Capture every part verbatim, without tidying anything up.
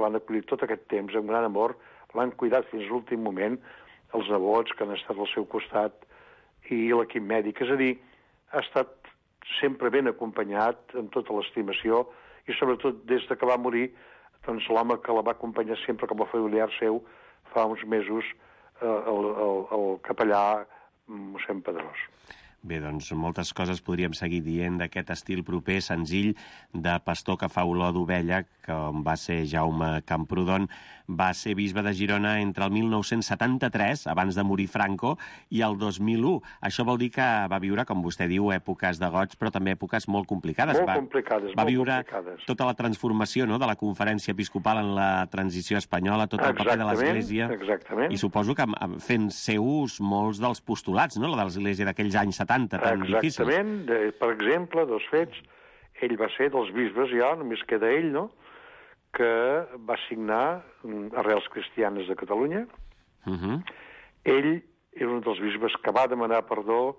l'han acollit tot aquest temps amb gran amor, l'han cuidat fins a l'últim moment, els nebots que han estat al seu costat i l'equip mèdic. És a dir, ha estat sempre ben acompanyat, amb tota l'estimació, i sobretot des de que va morir, doncs l'home que la va acompanyar sempre com a familiar seu fa uns mesos, eh, el, el, el capellà mossèn Pedrós. Bé, doncs moltes coses podríem seguir dient d'aquest estil proper, senzill, de pastor que fa olor d'ovella, com va ser Jaume Camprodon. Va ser bisbe de Girona entre el mil nou-cents setanta-tres, abans de morir Franco, i el dos mil u. Això vol dir que va viure, com vostè diu, èpoques de goig, però també èpoques molt complicades. Molt va, complicades, va molt viure complicades. Tota la transformació, no?, de la Conferència Episcopal en la transició espanyola, tot el paper de l'Església. Exactament. I suposo que fent seus molts dels postulats, no?, la de l'Església d'aquells anys setanta tan difícils. Exactament. Per exemple, dos fets. Ell va ser dels bisbes, ja, només queda ell, no?, que va signar Arrels Cristianes de Catalunya. Uh -huh. Ell era un dels bisbes que va demanar perdó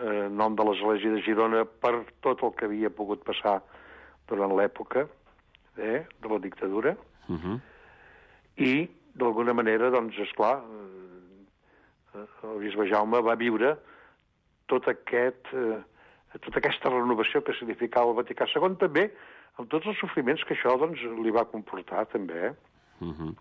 eh, en nom de l'Església de Girona per tot el que havia pogut passar durant l'època eh, de la dictadura. Uh -huh. I, d'alguna manera, doncs, esclar, eh, el bisbe Jaume va viure tot aquest, eh, tota aquesta renovació que significava el Vaticà segon, també amb tots els sofriments que això doncs, li va comportar, també. Eh? Uh -huh.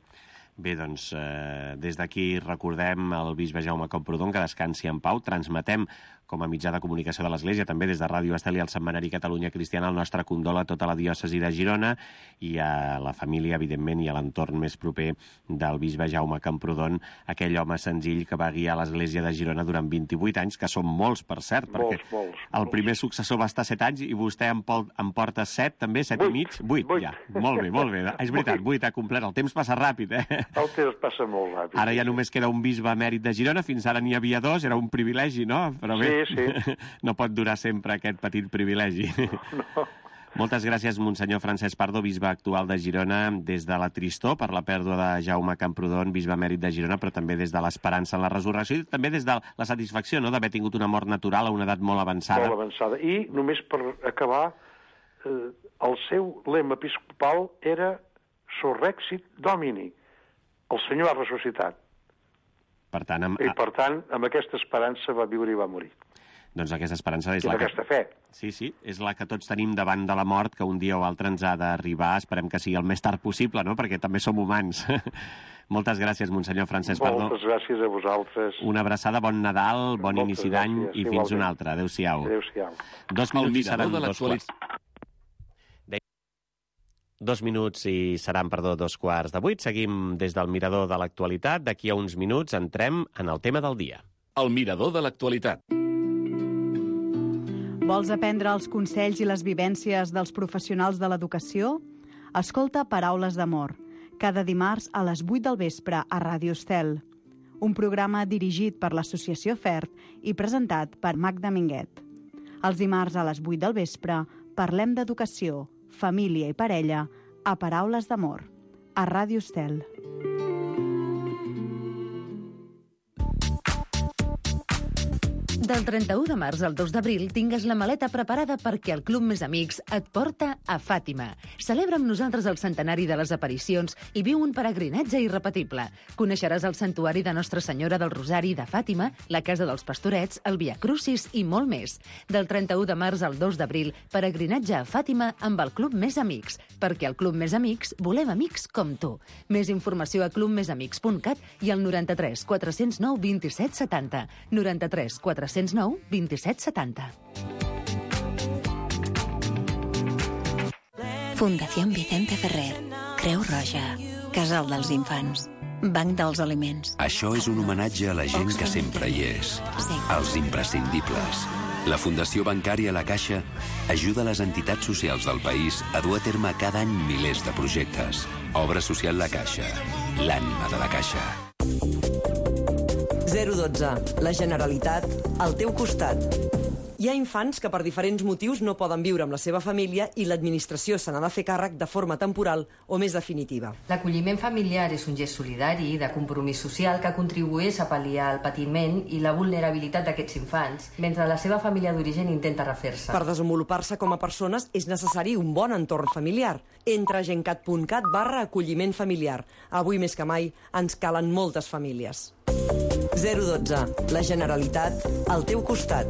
Bé, doncs, eh, des d'aquí recordem el bisbe Jaume Camprodon, que descansi en pau. Transmetem com a mitjà de comunicació de l'Església, també des de Ràdio Estel i el Setmanari Catalunya Cristiana, el nostre condol a tota la diòcesi de Girona i a la família, evidentment, i a l'entorn més proper del bisbe Jaume Camprodon, aquell home senzill que va guiar l'Església de Girona durant vint-i-vuit anys, que són molts, per cert, molts, perquè molts, el molts. primer successor va estar set anys i vostè en, pol, en porta set, també, set vuit, i mig? Vuit, vuit. ja. Molt bé, molt bé. És veritat, vuit ha complert. El temps passa ràpid, eh? El temps passa molt ràpid. Ara ja només queda un bisbe emèrit de Girona, fins ara n'hi havia dos, era un privilegi, no? Però bé, sí, sí. no pot durar sempre aquest petit privilegi. No. Moltes gràcies, Monsenyor Francesc Pardo, bisbe actual de Girona, des de la tristor per la pèrdua de Jaume Camprodon, bisbe emèrit de Girona, però també des de l'esperança en la resurrecció i també des de la satisfacció, no?, d'haver tingut una mort natural a una edat molt avançada. Molt avançada. I només per acabar, eh, el seu lema episcopal era Surrexit Domini. El Senyor ha ressuscitat. Per tant, amb... I, per tant, amb aquesta esperança va viure i va morir. Doncs aquesta esperança és I la amb que... aquesta fe. Sí, sí, és la que tots tenim davant de la mort, que un dia o altre ens ha d'arribar. Esperem que sigui el més tard possible, no?, perquè també som humans. Moltes gràcies, Monsenyor Francesc Pardo. Moltes gràcies a vosaltres. Una abraçada, bon Nadal, bon Moltes inici d'any gràcies, i fins igualment. un altre. Adéu-siau. Adéu-siau. Dos El minuts i mirador seran de dos quarts. Dos minuts i seran, perdó, dos quarts de vuit. Seguim des del mirador de l'actualitat. D'aquí a uns minuts entrem en el tema del dia. El mirador de l'actualitat. Vols aprendre els consells i les vivències dels professionals de l'educació? Escolta Paraules d'Amor, cada dimarts a les vuit del vespre a Ràdio Estel. Un programa dirigit per l'Associació FERT i presentat per Magda Minguet. Els dimarts a les vuit del vespre parlem d'educació, família i parella a Paraules d'Amor, a Ràdio Estel. Del trenta-u de març al dos d'abril tingues la maleta preparada perquè el Club Més Amics et porta a Fàtima. Celebra amb nosaltres el centenari de les aparicions i viu un peregrinatge irrepetible. Coneixeràs el santuari de Nostra Senyora del Rosari de Fàtima, la Casa dels Pastorets, el Via Crucis i molt més. Del trenta-u de març al dos d'abril, peregrinatge a Fàtima amb el Club Més Amics, perquè al Club Més Amics volem amics com tu. Més informació a club més amics punt cat i al noranta-tres quatre-cents nou vint-i-set setanta. noranta-tres quatre-cents nou vint-i-set setanta. Fundación Vicente Ferrer, Creu Roja, Casal dels Infants, Banc dels Aliments. Això és un homenatge a la gent que sempre hi és, als imprescindibles. La Fundació Bancària La Caixa ajuda les entitats socials del país a dur a terme cada any milers de projectes. Obra social La Caixa, l'ànima de la Caixa. zero dotze. La Generalitat al teu costat. Hi ha infants que per diferents motius no poden viure amb la seva família i l'administració se n'ha de fer càrrec de forma temporal o més definitiva. L'acolliment familiar és un gest solidari de compromís social que contribueix a pal·liar el patiment i la vulnerabilitat d'aquests infants, mentre la seva família d'origen intenta refer-se. Per desenvolupar-se com a persones és necessari un bon entorn familiar. Entra a gencat punt cat barra acolliment familiar. Avui més que mai ens calen moltes famílies. zero dotze. La Generalitat al teu costat.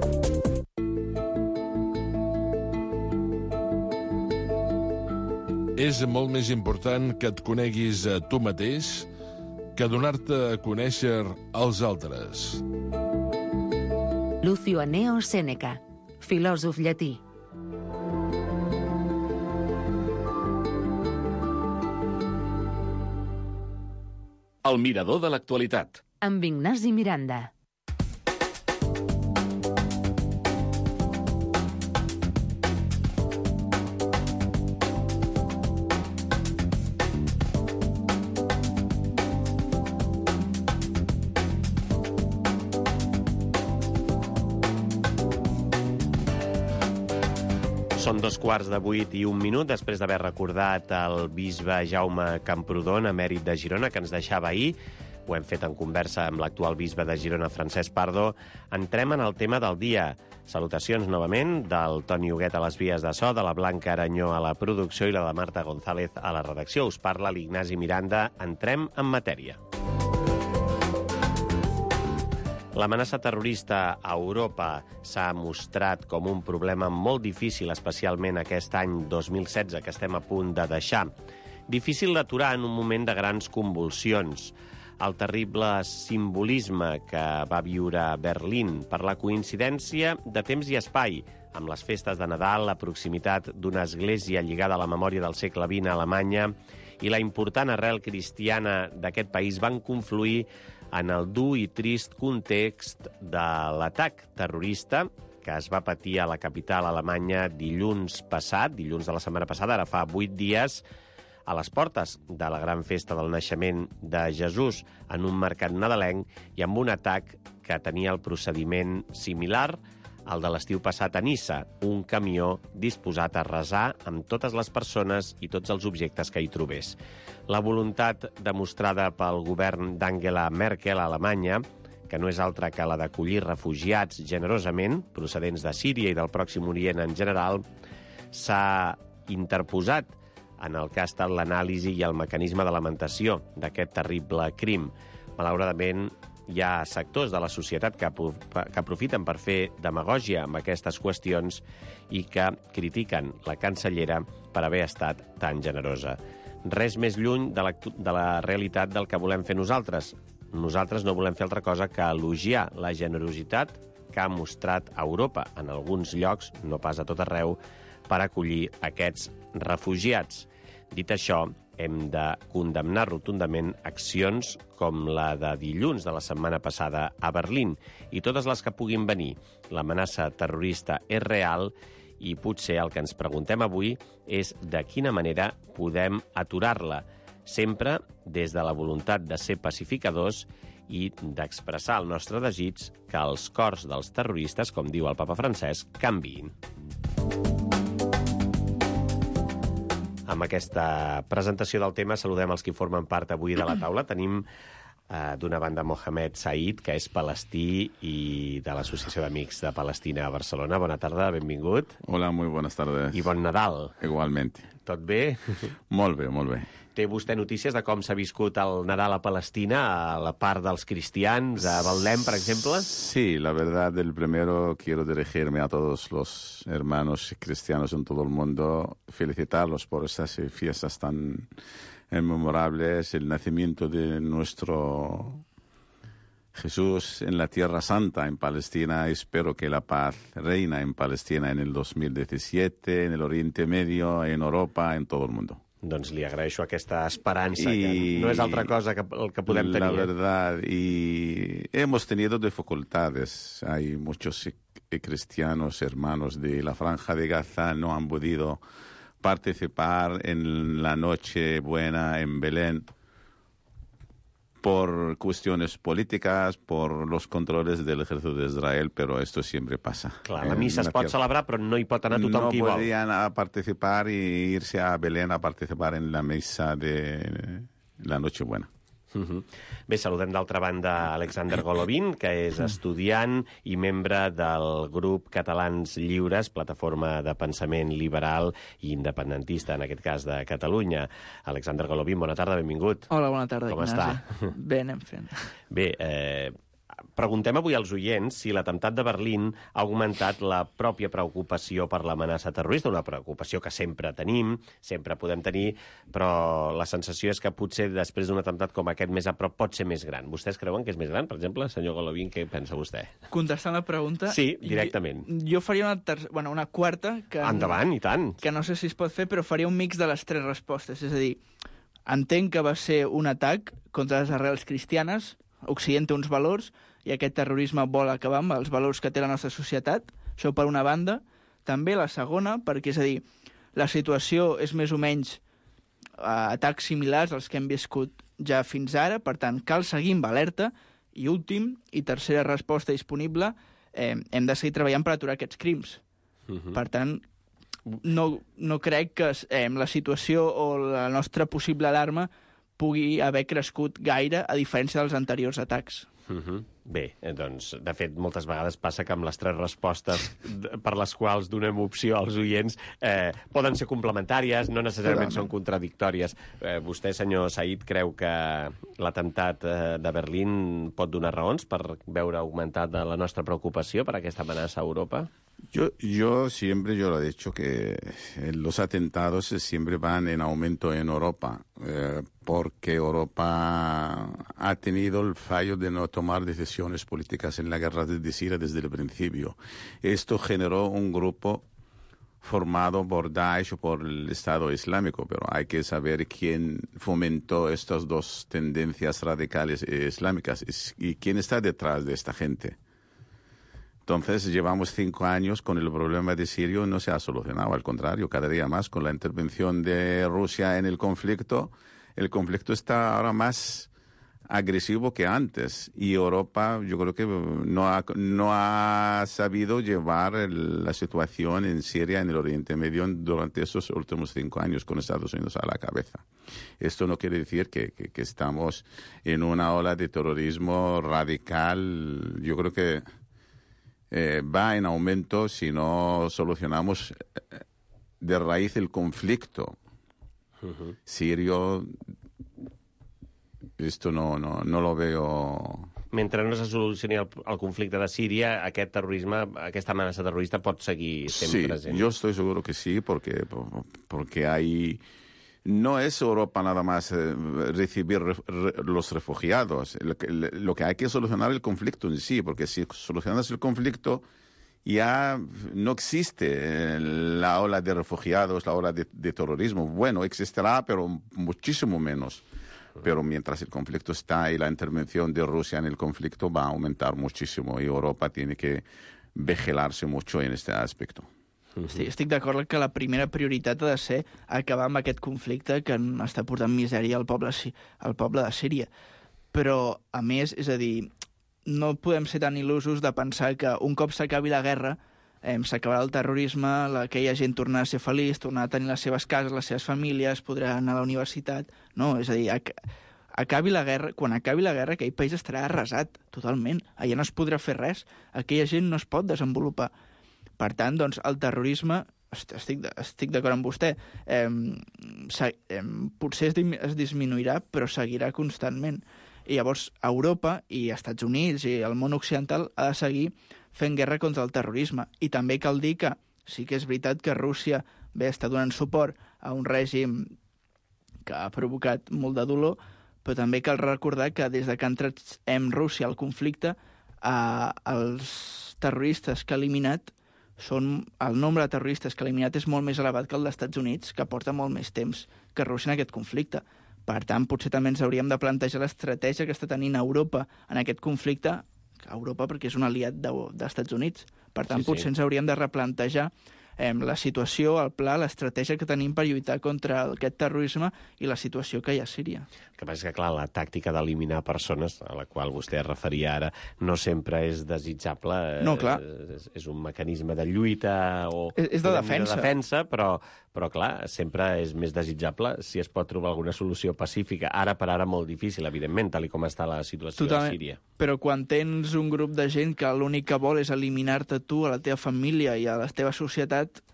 És molt més important que et coneguis a tu mateix que donar-te a conèixer als altres. Lucio Anneo Sèneca, filòsof llatí. El mirador de l'actualitat. Amb Ignasi Miranda. Són dos quarts de vuit i un minut, després d'haver recordat el bisbe Jaume Camprodon, emèrit de Girona, que ens deixava ahir. Ho hem fet en conversa amb l'actual bisbe de Girona, Francesc Pardo. Entrem en el tema del dia. Salutacions novament del Toni Huguet a les vies de so, de la Blanca Aranyó a la producció i la de Marta González a la redacció. Us parla l'Ignasi Miranda. Entrem en matèria. L'amenaça terrorista a Europa s'ha mostrat com un problema molt difícil, especialment aquest any dos mil setze, que estem a punt de deixar. Difícil d'aturar en un moment de grans convulsions. El terrible simbolisme que va viure Berlín per la coincidència de temps i espai, amb les festes de Nadal, la proximitat d'una església lligada a la memòria del segle vint a Alemanya i la important arrel cristiana d'aquest país van confluir en el dur i trist context de l'atac terrorista que es va patir a la capital alemanya dilluns passat, dilluns de la setmana passada, ara fa vuit dies, a les portes de la gran festa del naixement de Jesús, en un mercat nadalenc i amb un atac que tenia el procediment similar al de l'estiu passat a Niça, un camió disposat a arrasar amb totes les persones i tots els objectes que hi trobés. La voluntat demostrada pel govern d'Angela Merkel a Alemanya, que no és altra que la d'acollir refugiats generosament, procedents de Síria i del Pròxim Orient en general, s'ha interposat en el que ha estat l'anàlisi i el mecanisme de lamentació d'aquest terrible crim. Malauradament, hi ha sectors de la societat que, que aprofiten per fer demagògia amb aquestes qüestions i que critiquen la cancellera per haver estat tan generosa. Res més lluny de la, de la realitat del que volem fer nosaltres. Nosaltres no volem fer altra cosa que elogiar la generositat que ha mostrat Europa en alguns llocs, no pas a tot arreu, per acollir aquests refugiats. Dit això, hem de condemnar rotundament accions com la de dilluns de la setmana passada a Berlín i totes les que puguin venir. L'amenaça terrorista és real i potser el que ens preguntem avui és de quina manera podem aturar-la, sempre des de la voluntat de ser pacificadors i d'expressar el nostre desig que els cors dels terroristes, com diu el papa Francesc, canviïn. Amb aquesta presentació del tema saludem els qui formen part avui de la taula. Tenim eh, d'una banda Mohamed Said, que és palestí i de l'Associació d'Amics de Palestina a Barcelona. Bona tarda, benvingut. Hola, muy buenas tardes. I bon Nadal. Igualmente. Tot bé? Molt bé, molt bé. Té vostè notícies de com s'ha viscut el Nadal a Palestina, a la part dels cristians, a Betlem, per exemple? Sí, la verdad, el primero quiero dirigirme a todos los hermanos cristianos en todo el mundo, felicitarlos por estas fiestas tan memorables, el nacimiento de nuestro Jesús en la Tierra Santa, en Palestina. Espero que la paz reina en Palestina en el dos mil diecisiete, en el Oriente Medio, en Europa, en todo el mundo. Doncs li agraeixo aquesta esperança, y que no és altra cosa que el que podem tenir. La verdad, y hemos tenido dificultades. Hay muchos cristianos, hermanos de la Franja de Gaza, no han podido participar en la Noche Buena en Belén por cuestiones políticas, por los controles del ejército de Israel, pero esto siempre pasa. Clar, la missa es pot celebrar, però no hi pot anar tothom no qui vol. No podían a participar y irse a Belén a participar en la misa de la Nochebuena. Uh-huh. Bé, saludem d'altra banda Alexander Golovin, que és estudiant i membre del grup Catalans Lliures, plataforma de pensament liberal i independentista, en aquest cas de Catalunya. Alexander Golovin, bona tarda, benvingut. Hola, bona tarda, Com Ignasi. està? Bé, anem fent. Bé, eh, preguntem avui als oients si l'atemptat de Berlín ha augmentat la pròpia preocupació per l'amenaça terrorista, una preocupació que sempre tenim, sempre podem tenir, però la sensació és que potser després d'un atemptat com aquest més a prop pot ser més gran. Vostès creuen que és més gran? Per exemple, senyor Golovin, què pensa vostè? Contestant la pregunta... Sí, directament. Jo, jo faria una, ter... bueno, una quarta... Que, Endavant, i tant. Que no sé si es pot fer, però faria un mix de les tres respostes. És a dir, entenc que va ser un atac contra les arrels cristianes, Occident té uns valors, i aquest terrorisme vol acabar amb els valors que té la nostra societat. Això per una banda. També la segona, perquè, és a dir, la situació és més o menys eh, atacs similars als que hem viscut ja fins ara, per tant, cal seguir amb alerta. I últim, i tercera resposta disponible, eh, hem de seguir treballant per aturar aquests crims. Uh-huh. Per tant, no, no crec que eh, la situació o la nostra possible alarma pugui haver crescut gaire, a diferència dels anteriors atacs. Uh-huh. Bé, doncs, de fet, moltes vegades passa que amb les tres respostes per les quals donem opció als oients eh, poden ser complementàries, no necessàriament són contradictòries. Eh, vostè, senyor Said, creu que l'atemptat eh, de Berlín pot donar raons per veure augmentada la nostra preocupació per aquesta amenaça a Europa? Yo, yo siempre yo lo he dicho que los atentados siempre van en aumento en Europa, eh, porque Europa ha tenido el fallo de no tomar decisiones políticas en la guerra de Siria desde el principio. Esto generó un grupo formado por Daesh o por el Estado Islámico, pero hay que saber quién fomentó estas dos tendencias radicales islámicas y quién está detrás de esta gente. Entonces, llevamos cinco años con el problema de Siria y no se ha solucionado. Al contrario, cada día más, con la intervención de Rusia en el conflicto, el conflicto está ahora más agresivo que antes. Y Europa, yo creo que no ha, no ha sabido llevar el, la situación en Siria, en el Oriente Medio, durante esos últimos cinco años, con Estados Unidos a la cabeza. Esto no quiere decir que, que, que estamos en una ola de terrorismo radical. Yo creo que Eh, va en aumento si no solucionamos de raíz el conflicto uh-huh. sirio. Esto no, no, no lo veo... Mentre no se solucioni el, el conflicte de Síria, aquest terrorisme, aquesta amenaça terrorista pot seguir sent sí, present. Sí, yo estoy seguro que sí, porque, porque hay... No es Europa nada más eh, recibir re, re, los refugiados. Lo que, lo que hay que solucionar el conflicto en sí, porque si solucionas el conflicto ya no existe la ola de refugiados, la ola de, de terrorismo. Bueno, existirá, pero muchísimo menos. Pero mientras el conflicto está y la intervención de Rusia en el conflicto va a aumentar muchísimo y Europa tiene que vigilarse mucho en este aspecto. Sí, estic d'acord que la primera prioritat ha de ser acabar amb aquest conflicte que està portant misèria al poble, al poble de Síria. Però, a més, és a dir, no podem ser tan il·lusos de pensar que un cop s'acabi la guerra eh, s'acabarà el terrorisme, la, aquella gent tornarà a ser feliç, tornarà a tenir les seves cases, les seves famílies, podrà anar a la universitat... No, és a dir, ac acabi la guerra, quan acabi la guerra aquell país estarà arrasat totalment. Allà no es podrà fer res, aquella gent no es pot desenvolupar. Per tant, doncs, el terrorisme, estic, estic d'acord amb vostè, eh, eh, potser es, es disminuirà, però seguirà constantment. I llavors Europa i Estats Units i el món occidental ha de seguir fent guerra contra el terrorisme. I també cal dir que sí que és veritat que Rússia bé està donant suport a un règim que ha provocat molt de dolor, però també cal recordar que des de que ha entrat en Rússia al conflicte, eh, els terroristes que ha eliminat són, el nombre de terroristes que ha eliminat és molt més elevat que el dels Estats Units, que porta molt més temps que Rússia en aquest conflicte. Per tant, potser també ens hauríem de plantejar l'estratègia que està tenint Europa en aquest conflicte, Europa perquè és un aliat de, dels Estats Units. Per tant, sí, potser sí. ens hauríem de replantejar eh, la situació, el pla, l'estratègia que tenim per lluitar contra aquest terrorisme i la situació que hi ha a Síria. El que passa és que, clar, la tàctica d'eliminar persones, a la qual vostè es referia ara, no sempre és desitjable. No, clar. És, és un mecanisme de lluita o... És, és de defensa. De defensa, però, però, clar, sempre és més desitjable si es pot trobar alguna solució pacífica. Ara per ara molt difícil, evidentment, tal com està la situació Totalment. a Síria. Però quan tens un grup de gent que l'únic que vol és eliminar-te tu, a la teva família i a la teva societat,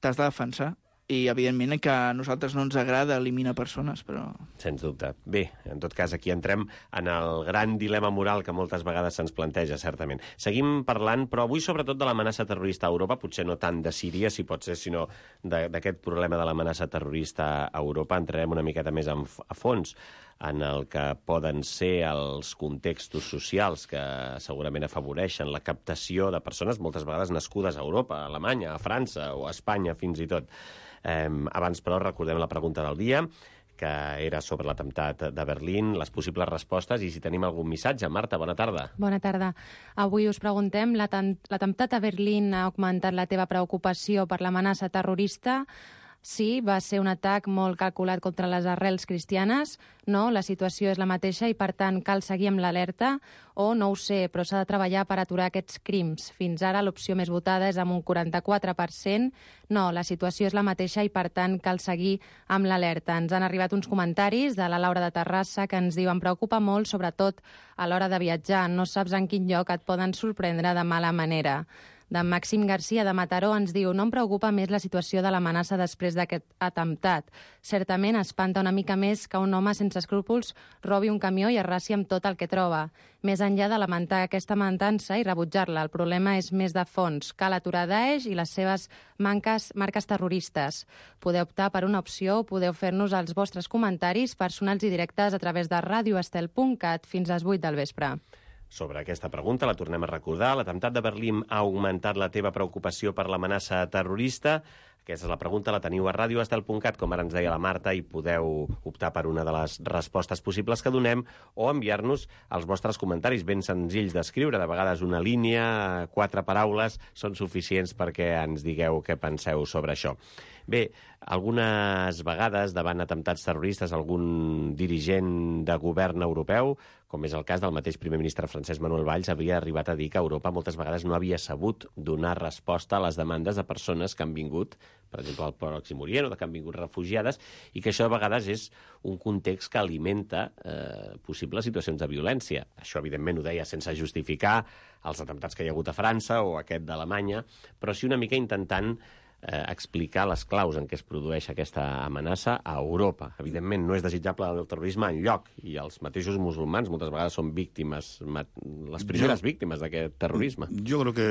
t'has de defensar. I, evidentment, que a nosaltres no ens agrada eliminar persones, però... Sens dubte. Bé, en tot cas, aquí entrem en el gran dilema moral que moltes vegades se'ns planteja, certament. Seguim parlant, però avui sobretot de l'amenaça terrorista a Europa, potser no tant de Síria, si pot ser, sinó d'aquest problema de l'amenaça terrorista a Europa. Entrarem una miqueta més a fons en el que poden ser els contextos socials que segurament afavoreixen la captació de persones moltes vegades nascudes a Europa, a Alemanya, a França o a Espanya fins i tot. Eh, abans, però, recordem la pregunta del dia, que era sobre l'atemptat de Berlín, les possibles respostes i si tenim algun missatge. Marta, bona tarda. Bona tarda. Avui us preguntem, l'atemptat a Berlín ha augmentat la teva preocupació per l'amenaça terrorista? Sí, va ser un atac molt calculat contra les arrels cristianes. No, la situació és la mateixa i, per tant, cal seguir amb l'alerta. O no ho sé, però s'ha de treballar per aturar aquests crims. Fins ara l'opció més votada és amb un quaranta-quatre per cent. No, la situació és la mateixa i, per tant, cal seguir amb l'alerta. Ens han arribat uns comentaris de la Laura de Terrassa que ens diu: em preocupa molt, sobretot a l'hora de viatjar. No saps en quin lloc et poden sorprendre de mala manera. D'en Màxim Garcia de Mataró ens diu: no em preocupa més la situació de l'amenaça després d'aquest atemptat. Certament espanta una mica més que un home sense escrúpols robi un camió i arrasi amb tot el que troba. Més enllà de lamentar aquesta matança i rebutjar-la, el problema és més de fons. Cal aturar Daesh i les seves manques, marques terroristes. Podeu optar per una opció o podeu fer-nos els vostres comentaris personals i directes a través de radio estel punt cat fins a les vuit del vespre. Sobre aquesta pregunta, la tornem a recordar. L'atemptat de Berlín ha augmentat la teva preocupació per l'amenaça terrorista? Aquesta és la pregunta, la teniu a radio estel punt cat, com ara ens deia la Marta, i podeu optar per una de les respostes possibles que donem o enviar-nos els vostres comentaris ben senzills d'escriure. De vegades una línia, quatre paraules, són suficients perquè ens digueu què penseu sobre això. Bé, algunes vegades, davant atemptats terroristes, algun dirigent de govern europeu, com és el cas del mateix primer ministre francès Manuel Valls, havia arribat a dir que Europa moltes vegades no havia sabut donar resposta a les demandes de persones que han vingut, per exemple, al Pròxim Orient, o que han vingut refugiades, i que això de vegades és un context que alimenta eh, possibles situacions de violència. Això, evidentment, ho deia sense justificar els atemptats que hi ha hagut a França o aquest d'Alemanya, però sí una mica intentant eh, explicar les claus en què es produeix aquesta amenaça a Europa. Evidentment, no és desitjable el terrorisme enlloc, i els mateixos musulmans moltes vegades són víctimes, les primeres yo, víctimes d'aquest terrorisme. Yo creo que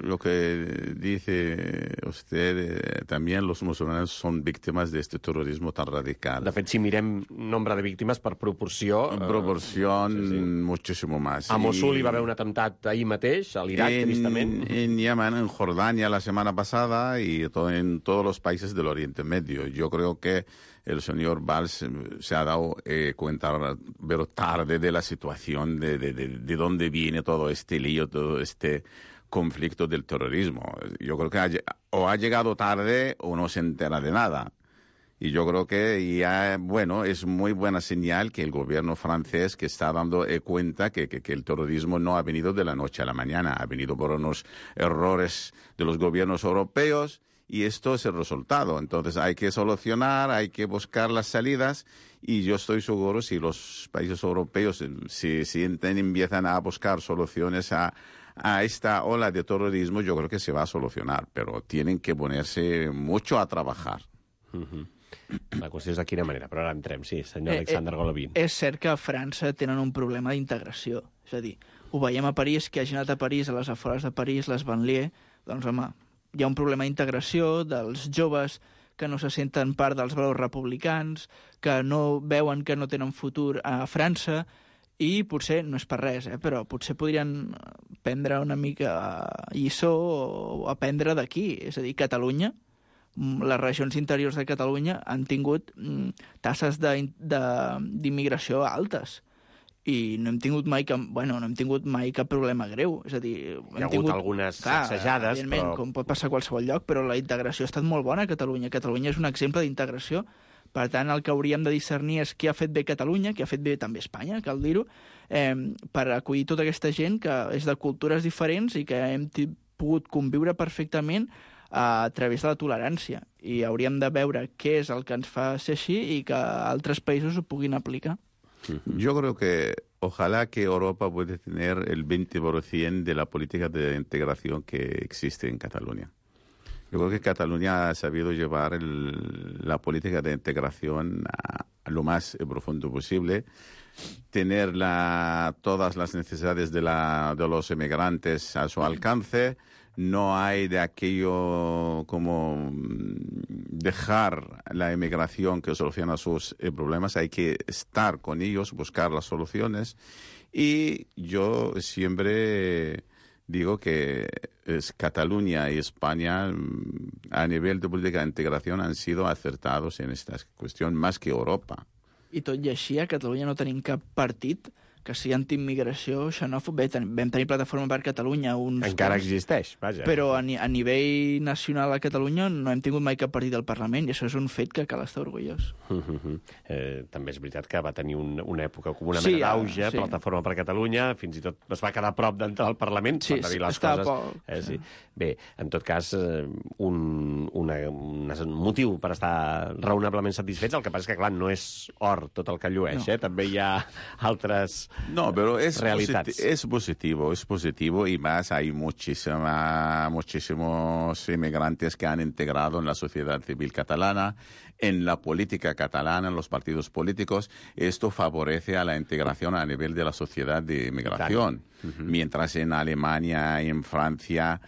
lo que dice usted, eh, también los musulmanes son víctimas de este terrorismo tan radical. De fet, si mirem nombre de víctimes per proporció... En proporció, eh, sí, sí. muchísimo más. A Mosul hi va haver un atemptat ahir mateix, a l'Iraq, tristament. En Yemen, en Jordania, la semana pasada, y en todos los países del Oriente Medio. Yo creo que el señor Valls se ha dado eh, cuenta, pero tarde, de la situación, de, de, de, de dónde viene todo este lío, todo este conflicto del terrorismo. Yo creo que ha, o ha llegado tarde o no se entera de nada. Y yo creo que ya, bueno, es muy buena señal que el gobierno francés que está dando eh, cuenta que, que, que el terrorismo no ha venido de la noche a la mañana, ha venido por unos errores de los gobiernos europeos, y esto es el resultado. Entonces hay que solucionar, hay que buscar las salidas, y yo estoy seguro si los países europeos si, si empiezan a buscar soluciones a, a esta ola de terrorismo, yo creo que se va a solucionar, pero tienen que ponerse mucho a trabajar. Uh-huh. La qüestió és de quina manera, però ara entrem, sí, senyor Alexander Golovin. Eh, és cert que a França tenen un problema d'integració. És a dir, ho veiem a París, que hagin anat a París, a les afores de París, les banlieues, doncs, home, hi ha un problema d'integració dels joves que no se senten part dels valors republicans, que no veuen que no tenen futur a França, i potser, no és per res, eh, però potser podrien prendre una mica lliçó o aprendre d'aquí. És a dir, Catalunya, les regions interiors de Catalunya han tingut mm, tasses d'immigració altes, i no hem tingut mai cap, bueno, no hem tingut mai cap problema greu. És a dir, Hi ha hem hagut tingut, algunes clar, sacsejades, però... com pot passar a qualsevol lloc, però la integració ha estat molt bona a Catalunya. Catalunya és un exemple d'integració. Per tant, el que hauríem de discernir és què ha fet bé Catalunya, què ha fet bé també Espanya, cal dir-ho, eh, per acollir tota aquesta gent que és de cultures diferents i que hem pogut conviure perfectament a través de la tolerància. I hauríem de veure què és el que ens fa ser així i que altres països ho puguin aplicar. Yo creo que ojalá que Europa pueda tener el veinte por ciento de la política de integración que existe en Cataluña. Yo creo que Cataluña ha sabido llevar el, la política de integración a, a lo más profundo posible, tener la, todas las necesidades de, la, de los emigrantes a su alcance. No hay de aquello como dejar la emigración que soluciona sus eh, problemas. Hay que estar con ellos, buscar las soluciones. Y yo siempre digo que es Cataluña y España a nivel de política de integración han sido acertados en esta cuestión más que Europa. I tot i així, a Catalunya no tenim cap partit que sigui antiimmigració, xenòfob. Bé, ten, vam tenir Plataforma per Catalunya uns... Encara temps, existeix, vaja. Però a, ni, a nivell nacional a Catalunya no hem tingut mai cap partit del Parlament, i això és un fet que cal estar orgullós. Uh -huh. eh, també és veritat que va tenir un, una època com una sí, mena d'auge, sí. Plataforma per Catalunya, fins i tot es va quedar a prop d'entrar al Parlament, sí, per dir les està coses. Poc, eh, sí. sí. Bé, en tot cas, eh, un, una, un motiu per estar raonablement satisfets, el que passa és que, clar, no és or tot el que llueix, no. eh? També hi ha altres... No, però és realidades. Posit es positivo, es positivo y más hay muchísima, muchísimos inmigrantes que han integrado en la sociedad civil catalana, en la política catalana, en los partidos políticos. Esto favorece a la integración a nivel de la sociedad de inmigración. Uh-huh. Mientras en Alemania y en Francia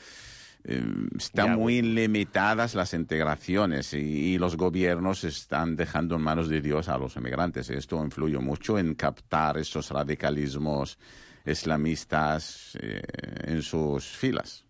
eh, están ya, muy limitadas las integraciones y, y los gobiernos están dejando en manos de Dios a los inmigrantes. Esto influye mucho en captar esos radicalismos islamistas eh, en sus filas.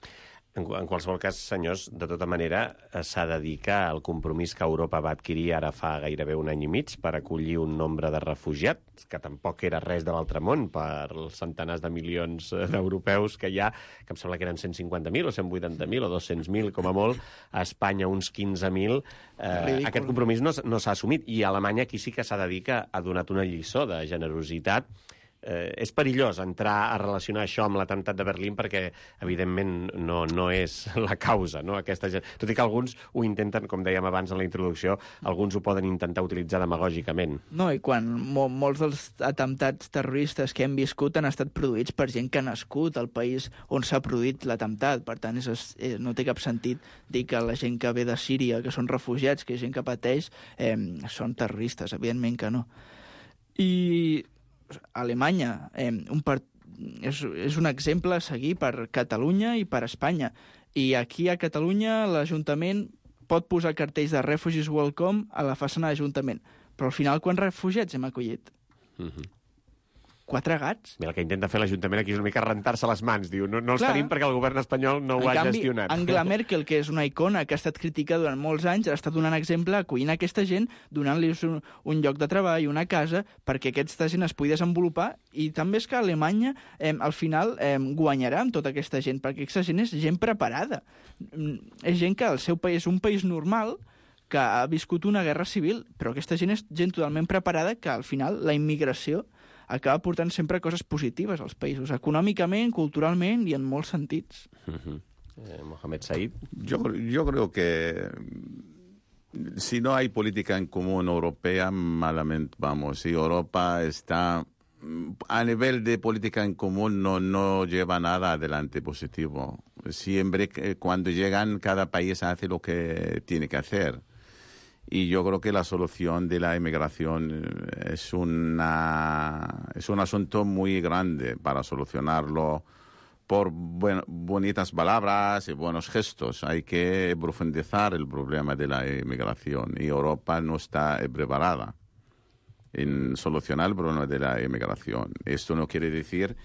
En, en qualsevol cas, senyors, de tota manera, s'ha de dir que el compromís que Europa va adquirir ara fa gairebé un any i mig per acollir un nombre de refugiats, que tampoc era res de l'altre món per els centenars de milions d'europeus que hi ha, que em sembla que eren cent cinquanta mil o cent vuitanta mil o dos-cents mil, com a molt, a Espanya uns quinze mil, eh, aquest compromís no, no s'ha assumit. I a Alemanya aquí sí que s'ha de dir que ha donat una lliçó de generositat. Eh, és perillós entrar a relacionar això amb l'atemptat de Berlín perquè, evidentment, no, no és la causa, no? Aquesta, tot i que alguns ho intenten, com dèiem abans en la introducció, alguns ho poden intentar utilitzar demagògicament. No, i quan mo molts dels atemptats terroristes que hem viscut han estat produïts per gent que ha nascut al país on s'ha produït l'atemptat. Per tant, és, és, no té cap sentit dir que la gent que ve de Síria, que són refugiats, que és gent que pateix, eh, són terroristes. Evidentment que no. I Alemanya eh, un part... és, és un exemple a seguir per Catalunya i per Espanya. I aquí a Catalunya l'Ajuntament pot posar cartells de Refugees Welcome a la façana de l'Ajuntament. Però al final, quants refugiats hem acollit? Uh-huh. Quatre gats? Bé, el que intenta fer l'Ajuntament aquí és una mica rentar-se les mans. Diu, no, no els Clar. tenim perquè el govern espanyol no ho en ha canvi, gestionat. Angela Merkel, que és una icona que ha estat criticada durant molts anys, ha estat donant exemple acollint aquesta gent, donant-los un, un lloc de treball, una casa, perquè aquesta gent es pugui desenvolupar. I també és que Alemanya, eh, al final, eh, guanyarà amb tota aquesta gent, perquè aquesta gent és gent preparada. És gent que el seu país és un país normal, que ha viscut una guerra civil, però aquesta gent és gent totalment preparada, que al final la immigració acaba portant sempre coses positives als països, econòmicament, culturalment i en molts sentits. Uh-huh. eh, Mohamed Said. Yo, yo creo que si no hay política en común europea, malamente vamos. Si Europa está a nivel de política en común no, no lleva nada adelante positivo. Siempre cuando llegan, cada país hace lo que tiene que hacer. Y yo creo que la solución de la inmigración es, una, es un asunto muy grande para solucionarlo por buen, bonitas palabras y buenos gestos. Hay que profundizar el problema de la inmigración y Europa no está preparada en solucionar el problema de la inmigración. Esto no quiere decir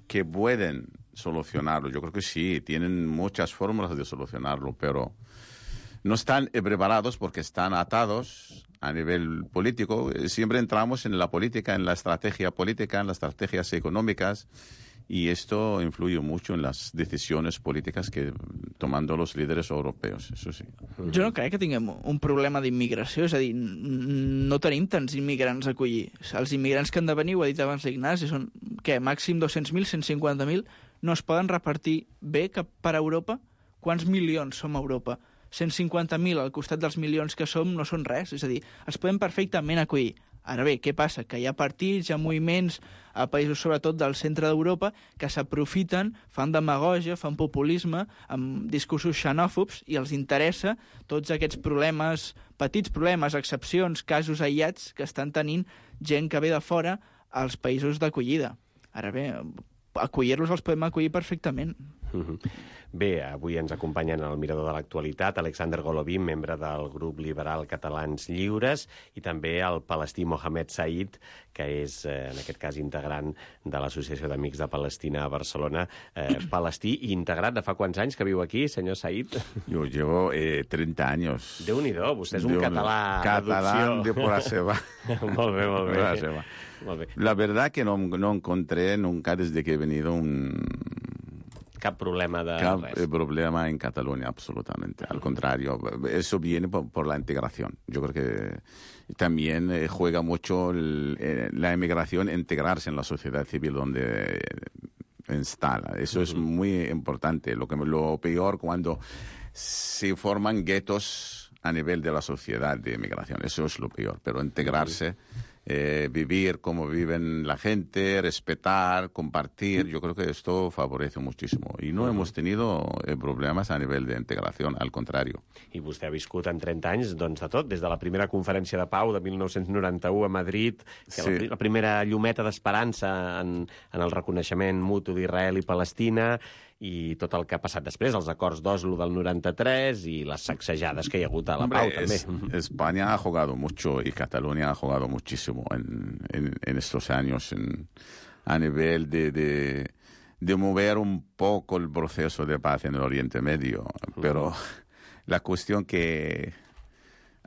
que pueden solucionarlo. Yo creo que sí, tienen muchas fórmulas de solucionarlo, pero no están preparados porque están atados a nivel político, siempre entramos en la política, en la estrategia política, en las estrategias económicas, y esto influye mucho en las decisiones políticas que tomando los líderes europeos, això sí. Jo no crec que tinguem un problema d'immigració, és a dir, no tenim tants immigrants a acollir. Els immigrants que han de venir, ho ha dit abans l'Ignasi, són, què, màxim dos-cents mil, cent cinquanta mil, no es poden repartir bé cap per a Europa? Quants milions som a Europa? cent cinquanta mil al costat dels milions que som no són res, és a dir, els podem perfectament acollir. Ara bé, què passa? Que hi ha partits, hi ha moviments a països sobretot del centre d'Europa que s'aprofiten, fan demagògia, fan populisme amb discursos xenòfobs i els interessa tots aquests problemes, petits problemes, excepcions, casos aïllats que estan tenint gent que ve de fora als països d'acollida. Ara bé, acollir-los els podem acollir perfectament. Bé, avui ens acompanyen al Mirador de l'Actualitat Alexander Golovin, membre del grup liberal Catalans Lliures, i també el palestí Mohamed Said, que és, en aquest cas, integrant de l'Associació d'Amics de Palestina a Barcelona. Eh, palestí i integrat de fa quants anys que viu aquí, senyor Said? Yo llevo eh, treinta años. Déu-n'hi-do, vostè és un català Catalán de por la seva. Molt bé, molt bé. La seva. La verdad que no, no encontré nunca desde que he venido un... Cap problema de Cap res. problema en Cataluña, absolutamente. Al contrario, eso viene por, por la integración. Yo creo que también eh, juega mucho el, eh, la emigración, integrarse en la sociedad civil donde instala. Eso uh-huh. es muy importante. Lo, que, lo peor cuando se forman guetos a nivel de la sociedad de emigración. Eso es lo peor. Pero integrarse... Uh-huh. Eh, vivir como viven la gente, respetar, compartir, yo creo que esto favorece muchísimo. Y no uh-huh. hemos tenido eh, problemas a nivel de integración, al contrario. I vostè ha viscut en trenta anys doncs, de tot, des de la primera conferència de pau de mil nou-cents noranta-u a Madrid, que sí. la, la primera llumeta d'esperança en, en el reconeixement mutu d'Israel i Palestina, i tot el que ha passat després, els acords d'Oslo del noranta-tres i les sacsejades que hi ha hagut a la Hombre, pau, també. Es, España ha jugado mucho y Cataluña ha jugado muchísimo en, en, en estos años en, a nivel de, de, de mover un poco el proceso de paz en el Oriente Medio. Pero uh-huh. la cuestión que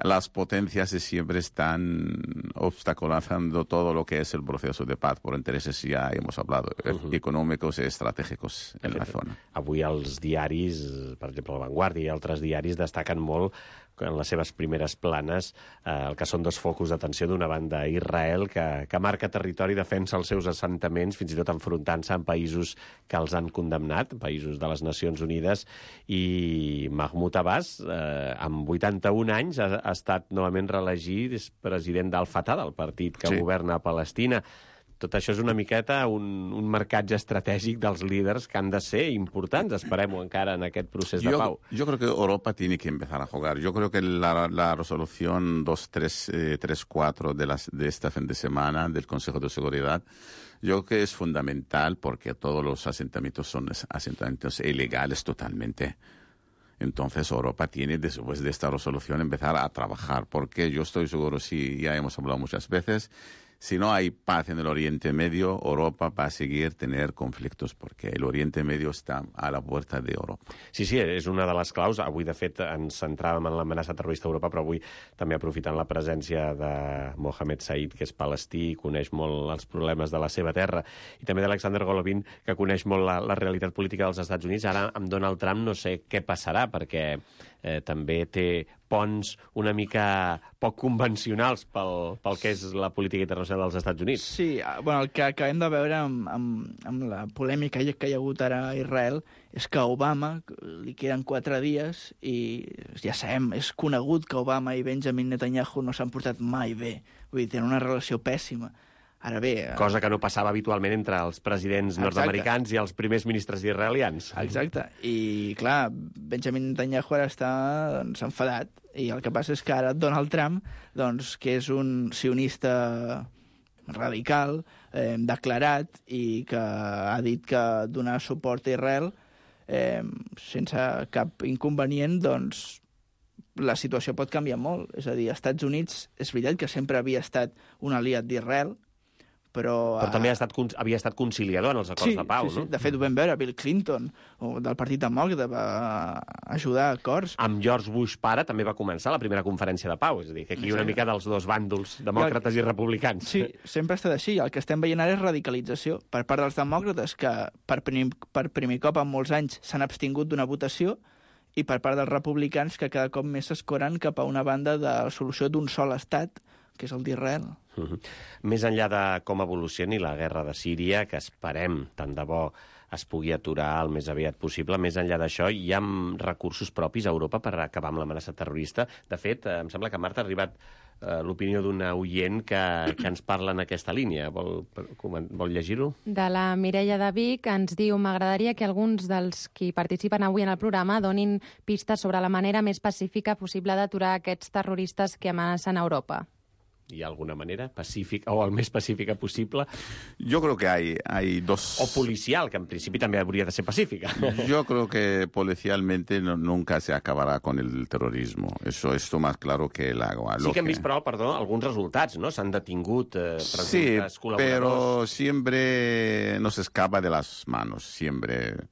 las potencias siempre están obstaculizando todo lo que es el proceso de paz por intereses, ja hemos hablado, uh-huh. econòmics i estratègics en la zona. Avui els diaris, per exemple, La Vanguardia i altres diaris, destaquen molt en les seves primeres planes eh, el que són dos focus d'atenció. D'una banda, Israel, que, que marca territori, defensa els seus assentaments, fins i tot enfrontant-se amb països que els han condemnat, països de les Nacions Unides, i Mahmoud Abbas, eh, amb vuitanta-un anys, ha, ha estat novament reelegit president d'Al-Fatah, del partit que sí. governa a Palestina. Tot això és una miqueta un, un marcatge estratègic dels líders que han de ser importants, esperem-ho encara en aquest procés de yo, pau. Yo creo que Europa tiene que empezar a jugar. Yo creo que la, la resolución dos tres cuatro de, las, de esta fin de semana del Consejo de Seguridad, yo creo que es fundamental porque todos los asentamientos son asentamientos ilegales totalmente. Entonces Europa tiene, después de esta resolución, empezar a trabajar, porque yo estoy seguro, si ya hemos hablado muchas veces, si no hay paz en el Oriente Medio, Europa va a seguir tener conflictos, porque el Oriente Medio està a la puerta d'Europa. Sí, sí, és una de les claus. Avui, de fet, ens centràvem en l'amenaça terrorista a Europa, però avui també aprofitant la presència de Mohamed Said, que és palestí, coneix molt els problemes de la seva terra, i també d'Alexander Golovin, que coneix molt la, la realitat política dels Estats Units. Ara, amb Donald Trump, no sé què passarà, perquè eh, també té ponts una mica poc convencionals pel, pel que és la política internacional dels Estats Units. Sí, bueno, el que acabem de veure amb, amb, amb la polèmica que hi ha hagut ara a Israel és que Obama, li queden quatre dies i ja sabem, és conegut que Obama i Benjamin Netanyahu no s'han portat mai bé. Vull dir, tenen una relació pèssima. Ara bé... Cosa que no passava habitualment entre els presidents nord-americans i els primers ministres israelians. Exacte. I, clar, Benjamin Netanyahu ara està doncs, enfadat. I el que passa és que ara Donald Trump, doncs, que és un sionista radical, eh, declarat, i que ha dit que donar suport a Israel eh, sense cap inconvenient, doncs, la situació pot canviar molt. És a dir, als Estats Units és veritat que sempre havia estat un aliat d'Israel, Però, però també ha estat, havia estat conciliador en els acords sí, de pau, sí, sí. no? De fet, ho vam veure, Bill Clinton, del Partit Demòcrata, va ajudar a acords. Amb George Bush pare també va començar la primera conferència de pau, és a dir, que aquí hi ha una mica dels dos bàndols, demòcrates i, el... i republicans. Sí, sempre ha estat així. El que estem veient ara és radicalització. Per part dels demòcrates, que per primer, per primer cop en molts anys s'han abstingut d'una votació, i per part dels republicans, que cada cop més s'escoren cap a una banda de la solució d'un sol estat, que és el d'Israel. Uh-huh. Més enllà de com evolucioni la guerra de Síria, que esperem, tant de bo, es pugui aturar el més aviat possible, més enllà d'això, hi ha recursos propis a Europa per acabar amb l'amenaça terrorista. De fet, em sembla que Marta ha arribat eh, l'opinió d'una oient que, que ens parla en aquesta línia. Vol, vol llegir-ho? De la Mireia de Vic ens diu: m'agradaria que alguns dels qui participen avui en el programa donin pistes sobre la manera més pacífica possible d'aturar aquests terroristes que amenacen a Europa. ¿Hay alguna manera pacífica o el més pacífica possible? Yo creo que hay, hay dos... O policial, que en principi també hauria de ser pacífica. Yo creo que policialmente no, nunca se acabará con el terrorismo. Eso es más claro que el agua. Sí que hem vist, però, perdó, alguns resultats, no? S'han detingut eh, presumptes sí, col·laboradors. pero siempre nos escapa de las manos, siempre...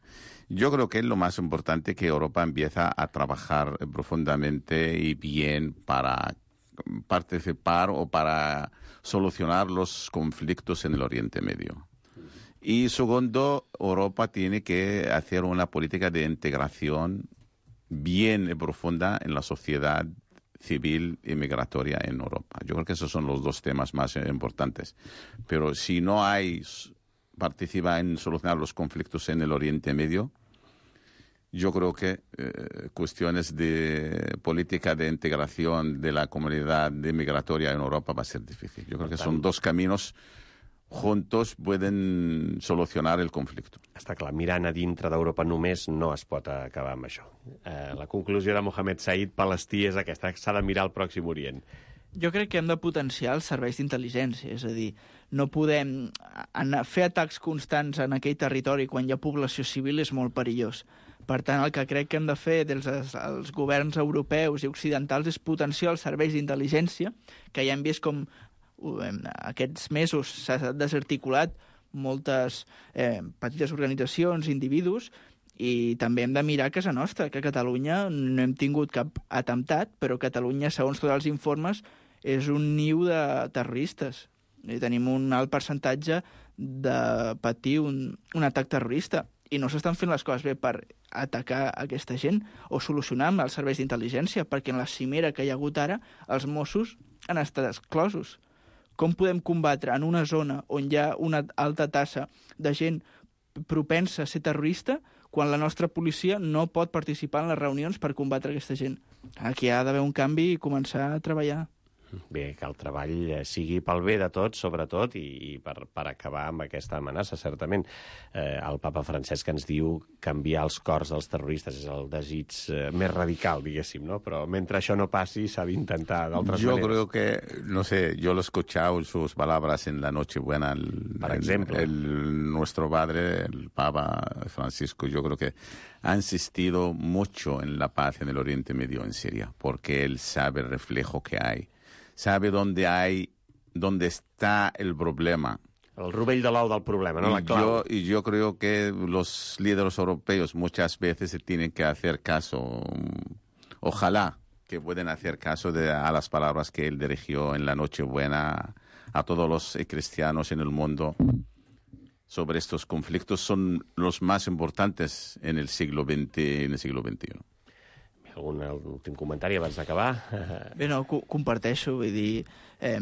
Yo creo que es lo más importante que Europa empieza a trabajar profundamente y bien para participar o para solucionar los conflictos en el Oriente Medio. Y segundo, Europa tiene que hacer una política de integración bien y profunda en la sociedad civil y migratoria en Europa. Yo creo que esos son los dos temas más importantes. Pero si no hay participa en solucionar los conflictos en el Oriente Medio, yo creo que eh, cuestiones de política de integración de la comunidad migratoria en Europa va a ser difícil. Yo creo que son dos caminos juntos pueden solucionar el conflicte. Està clar, mirant a dintre d'Europa només no es pot acabar amb això. Eh, la conclusió de Mohamed Said, Palestí, és aquesta, s'ha de mirar al Pròxim Orient. Jo crec que hem de potenciar els serveis d'intel·ligència, és a dir, no podem anar, fer atacs constants en aquell territori quan hi ha població civil és molt perillós. Per tant, el que crec que hem de fer dels els governs europeus i occidentals és potenciar els serveis d'intel·ligència, que ja hem vist com aquests mesos s'ha desarticulat moltes eh, petites organitzacions, individus, i també hem de mirar a casa nostra, que a Catalunya no hem tingut cap atemptat, però Catalunya, segons tots els informes, és un niu de terroristes. I tenim un alt percentatge de patir un, un atac terrorista. I no s'estan fent les coses bé per atacar aquesta gent o solucionar amb els serveis d'intel·ligència, perquè en la cimera que hi ha hagut ara, els Mossos han estat exclosos. Com podem combatre en una zona on hi ha una alta tassa de gent propensa a ser terrorista quan la nostra policia no pot participar en les reunions per combatre aquesta gent? Aquí ha d'haver un canvi i començar a treballar. Bé, que el treball sigui pel bé de tots, sobretot, i, i per, per acabar amb aquesta amenaça, certament. Eh, el papa Francesc ens diu canviar els cors dels terroristes és el desig eh, més radical, diguéssim, no? Però mentre això no passi, s'ha d'intentar d'altres yo maneres. Yo creo que, no sé, yo lo he escuchado en sus palabras en la Nochebuena, el, por ejemplo, el, el, nuestro padre, el Papa Francisco, yo creo que ha insistido mucho en la paz en el Oriente Medio, en Siria, porque él sabe el reflejo que hay. Sabe dónde hay, dónde está el problema. El rovell de l'ou del problema, no? La clau. Yo, y yo creo que los líderes europeos muchas veces se tienen que hacer caso, ojalá que puedan hacer caso de, a las palabras que él dirigió en la Nochebuena a todos los cristianos en el mundo sobre estos conflictos. Son los más importantes en el siglo veinte, en el siglo veintiuno. Algun últim comentari abans d'acabar? Bé, no, co comparteixo, vull dir, eh,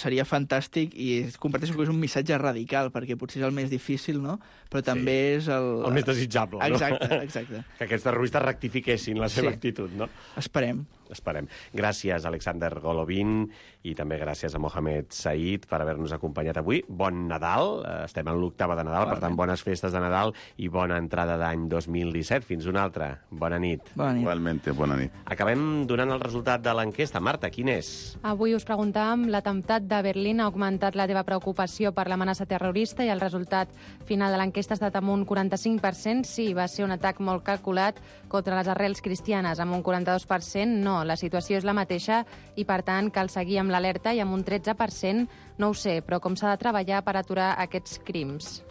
seria fantàstic i comparteixo que és un missatge radical, perquè potser és el més difícil, no? Però també sí. és el... El més desitjable, no? Exacte, exacte. Que aquests terroristes rectifiquessin la seva sí. actitud, no? Esperem. Esperem. Gràcies, Alexander Golovin, i també gràcies a Mohamed Said per haver-nos acompanyat avui. Bon Nadal, estem en l'octava de Nadal, per tant, bones festes de Nadal i bona entrada d'any dos mil disset. Fins una altra. Bona nit. Bona nit. Igualmente, bona nit. Acabem donant el resultat de l'enquesta. Marta, quin és? Avui us preguntem preguntàvem, l'atemptat de Berlín ha augmentat la teva preocupació per l'amenaça terrorista i el resultat final de l'enquesta ha estat amb un quaranta-cinc per cent. Sí, va ser un atac molt calculat contra les arrels cristianes. Amb un quaranta-dos per cent no, la situació és la mateixa i, per tant, cal seguir amb l'alerta, i amb un tretze per cent no ho sé, però com s'ha de treballar per aturar aquests crims?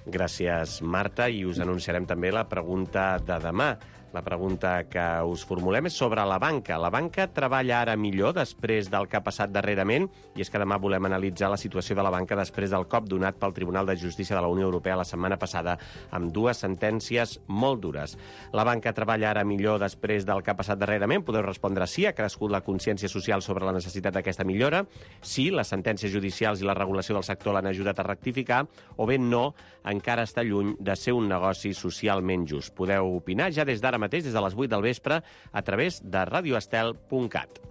Gràcies, Marta, i us anunciarem també la pregunta de demà. La pregunta que us formulem és sobre la banca. La banca treballa ara millor després del que ha passat darrerament, i és que demà volem analitzar la situació de la banca després del cop donat pel Tribunal de Justícia de la Unió Europea la setmana passada amb dues sentències molt dures. La banca treballa ara millor després del que ha passat darrerament? Podeu respondre sí, ha crescut la consciència social sobre la necessitat d'aquesta millora, sí, les sentències judicials i la regulació del sector l'han ajudat a rectificar, o bé no, encara està lluny de ser un negoci socialment just. Podeu opinar ja des d'ara mateix, des de les vuit del vespre, a través de radio estel punt cat.